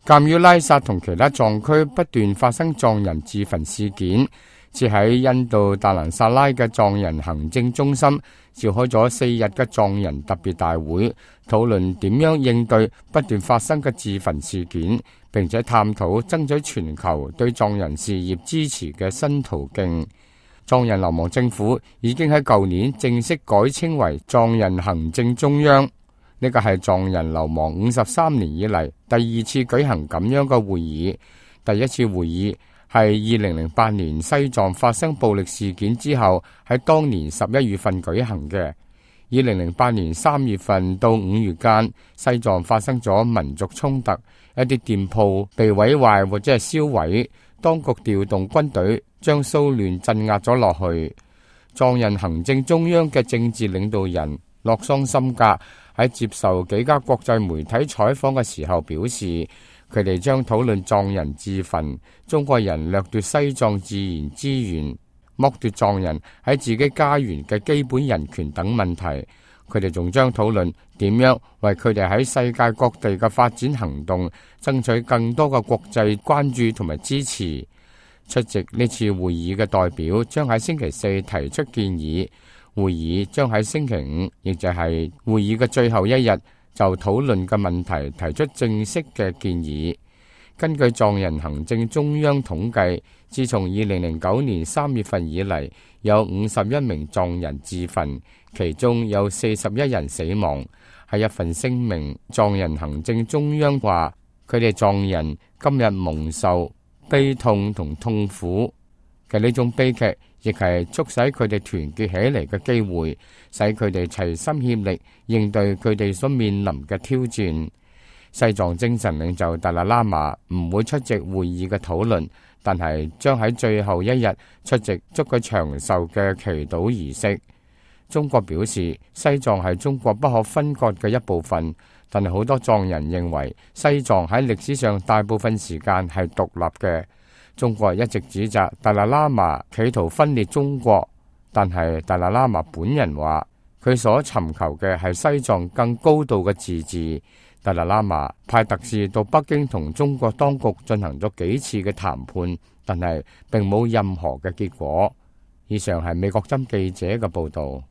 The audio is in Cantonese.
鑑於拉薩同其他藏區不斷發生藏人自焚事件，設喺印度達蘭薩拉嘅藏人行政中心召開咗4日嘅藏人特別大會，討論點樣應對不斷發生嘅自焚事件，並且探討爭取全球對藏人事業支持嘅新途徑。藏人流亡政府已經喺舊年正式改稱為藏人行政中央。呢個係藏人流亡53年以嚟第2次舉行咁樣嘅會議。第一次會議係2008年西藏發生暴力事件之後，喺當年11月份舉行嘅。2008年3月份到5月間，西藏發生咗民族衝突，一啲店鋪被毀壞或者係燒毀，當局調動軍隊將騷亂鎮壓咗落去。藏人行政中央嘅政治領導人洛桑森格喺接受幾家國際媒體採訪嘅時候表示，佢哋將討論藏人自焚、中國人掠奪西藏自然資源、剝奪藏人喺自己家園嘅基本人權等問題。佢哋仲將討論點樣為佢哋喺世界各地嘅發展行動爭取更多嘅國際關注同埋支持。出席呢次會議嘅代表將喺星期四提出建議。會議將喺星期五，亦就係會議嘅最後一日，就討論嘅問題提出正式嘅建議。根據藏人行政中央統計，自從2009年3月份以嚟，有51名藏人自焚，其中有41人死亡。喺一份聲明，藏人行政中央話，佢哋藏人今日蒙受悲痛同痛苦嘅呢種悲劇，亦係促使佢哋團結起嚟嘅機會，使佢哋齊心協力應對佢哋所面臨嘅挑戰。西藏精神領袖達賴喇嘛唔會出席會議嘅討論，但係將喺最後一日出席祝佢長壽嘅祈禱儀式。中國表示，西藏係中國不可分割嘅一部分，但係好多藏人認為西藏喺歷史上大部分時間係獨立嘅。中國一直指責達賴喇嘛企圖分裂中國，但係達賴喇嘛本人話，佢所尋求嘅係西藏更高度嘅自治。達賴喇嘛派特使到北京同中國當局進行咗幾次嘅談判，但係並冇任何嘅結果。以上係美國針記者嘅報道。